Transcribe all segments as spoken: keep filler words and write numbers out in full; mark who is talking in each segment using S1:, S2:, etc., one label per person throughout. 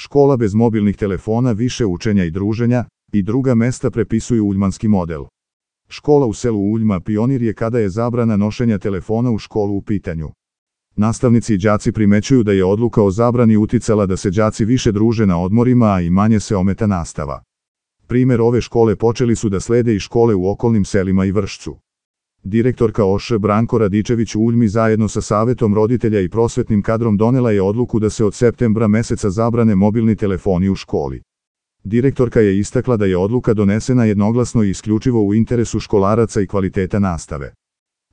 S1: Škola bez mobilnih telefona, više učenja i druženja, i druga mesta prepisuju uljmanski model. Škola u selu Uljma pionir je kada je zabrana nošenja telefona u školu u pitanju. Nastavnici i đaci primećuju da je odluka o zabrani uticala da se đaci više druže na odmorima, a i manje se ometa nastava. Primer ove škole počeli su da slede i škole u okolnim selima i Vršcu. Direktorka O Š Branko Radičević u Uljmi zajedno sa savetom roditelja i prosvetnim kadrom donela je odluku da se od septembra meseca zabrane mobilni telefoni u školi. Direktorka je istakla da je odluka donesena jednoglasno i isključivo u interesu školaraca i kvaliteta nastave.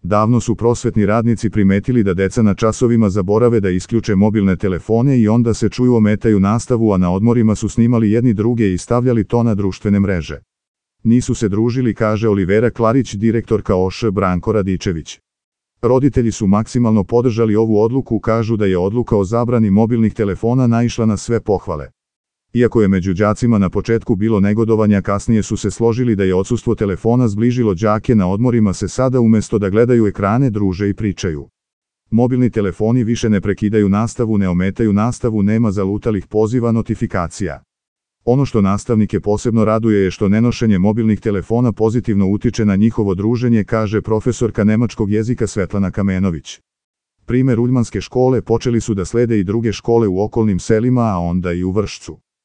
S1: Davno su prosvetni radnici primetili da deca na časovima zaborave da isključe mobilne telefone i onda se čuju ometaju nastavu, a na odmorima su snimali jedni druge i stavljali to na društvene mreže. Nisu se družili, kaže Olivera Klarić, direktorka O Š Branko Radičević. Roditelji su maksimalno podržali ovu odluku, kažu da je odluka o zabrani mobilnih telefona naišla na sve pohvale. Iako je među đacima na početku bilo negodovanja, kasnije su se složili da je odsustvo telefona zbližilo đake, na odmorima se sada umesto da gledaju ekrane druže i pričaju. Mobilni telefoni više ne prekidaju nastavu, ne ometaju nastavu, nema zalutalih poziva, notifikacija. Ono što nastavnike posebno raduje je što nenošenje mobilnih telefona pozitivno utiče na njihovo druženje, kaže profesorka nemačkog jezika Svetlana Kamenović. Primer uljmanske škole počeli su da slede i druge škole u okolnim selima, a onda i u Vršcu.